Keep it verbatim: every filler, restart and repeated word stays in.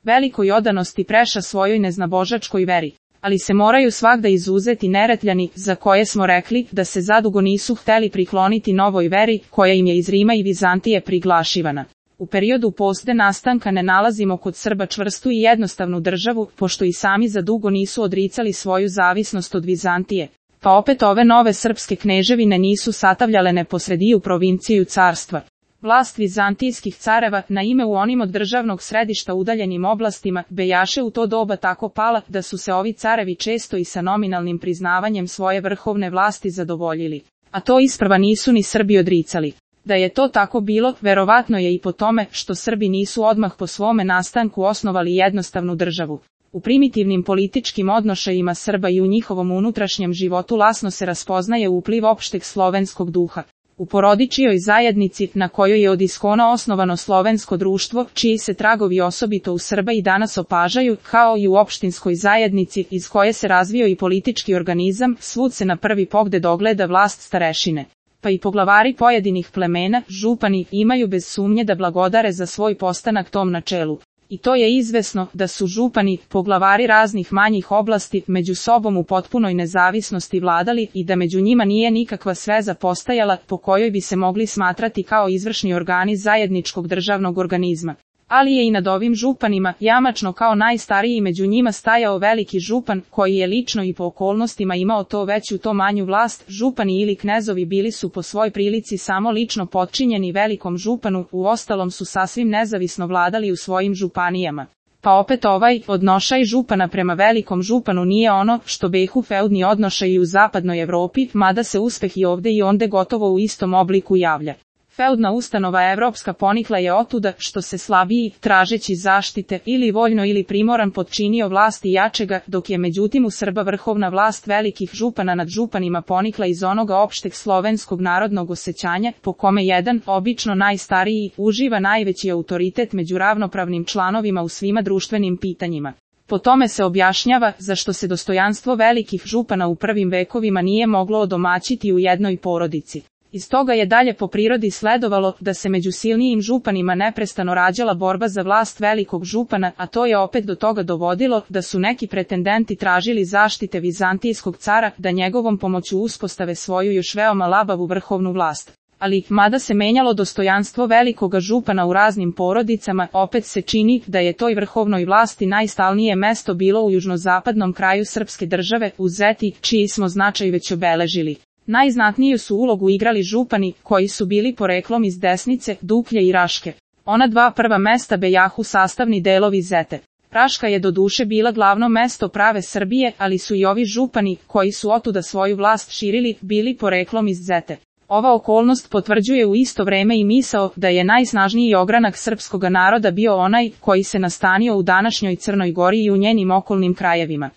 velikoj odanosti preša svojoj neznabožačkoj veri. Ali se moraju svagda izuzeti Neretljani, za koje smo rekli da se zadugo nisu hteli prikloniti novoj veri, koja im je iz Rima i Vizantije priglašivana. U periodu posle nastanka ne nalazimo kod Srba čvrstu i jednostavnu državu, pošto i sami za dugo nisu odricali svoju zavisnost od Vizantije. Pa opet ove nove srpske kneževine nisu satavljale neposrediju provinciju carstva. Vlast vizantijskih careva, na ime u onim od državnog središta udaljenim oblastima, bejaše u to doba tako pala, da su se ovi carevi često i sa nominalnim priznavanjem svoje vrhovne vlasti zadovoljili. A to isprva nisu ni Srbi odricali. Da je to tako bilo, verovatno je i po tome što Srbi nisu odmah po svome nastanku osnovali jednostavnu državu. U primitivnim političkim odnošajima Srba i u njihovom unutrašnjem životu lasno se raspoznaje upliv opšteg slovenskog duha. U porodičijoj zajednici, na kojoj je od iskona osnovano slovensko društvo, čiji se tragovi osobito u Srba i danas opažaju, kao i u opštinskoj zajednici, iz koje se razvio i politički organizam, svud se na prvi pogled ogleda vlast starešine. Pa i poglavari pojedinih plemena, župani, imaju bez sumnje da blagodare za svoj postanak tom načelu. I to je izvesno da su župani, poglavari raznih manjih oblasti, među sobom u potpunoj nezavisnosti vladali i da među njima nije nikakva sveza postajala po kojoj bi se mogli smatrati kao izvršni organi zajedničkog državnog organizma. Ali je i nad ovim županima, jamačno kao najstariji među njima stajao veliki župan, koji je lično i po okolnostima imao to veću to manju vlast. Župani ili knezovi bili su po svoj prilici samo lično potčinjeni velikom županu, uostalom su sasvim nezavisno vladali u svojim županijama. Pa opet ovaj odnošaj župana prema velikom županu nije ono što behu feudni odnošaji u zapadnoj Evropi, mada se uspeh i ovde i onde gotovo u istom obliku javlja. Feudna ustanova evropska ponikla je otuda što se slabiji, tražeći zaštite, ili voljno ili primoran potčinio vlasti jačega, dok je međutim u Srba vrhovna vlast velikih župana nad županima ponikla iz onoga opšteg slovenskog narodnog osjećanja, po kome jedan, obično najstariji, uživa najveći autoritet među ravnopravnim članovima u svima društvenim pitanjima. Po tome se objašnjava zašto se dostojanstvo velikih župana u prvim vekovima nije moglo odomaćiti u jednoj porodici. Iz toga je dalje po prirodi sledovalo da se među silnijim županima neprestano rađala borba za vlast velikog župana, a to je opet do toga dovodilo da su neki pretendenti tražili zaštite vizantijskog cara da njegovom pomoću uspostave svoju još veoma labavu vrhovnu vlast. Ali, mada se menjalo dostojanstvo velikoga župana u raznim porodicama, opet se čini da je toj vrhovnoj vlasti najstalnije mesto bilo u južnozapadnom kraju srpske države, u Zeti, čiji smo značaj već obeležili. Najznatniju su ulogu igrali župani, koji su bili poreklom iz Desnice, Duklje i Raške. Ona dva prva mesta bejahu sastavni delovi Zete. Raška je doduše bila glavno mesto prave Srbije, ali su i ovi župani, koji su otuda svoju vlast širili, bili poreklom iz Zete. Ova okolnost potvrđuje u isto vreme i misao da je najsnažniji ogranak srpskoga naroda bio onaj koji se nastanio u današnjoj Crnoj Gori i u njenim okolnim krajevima.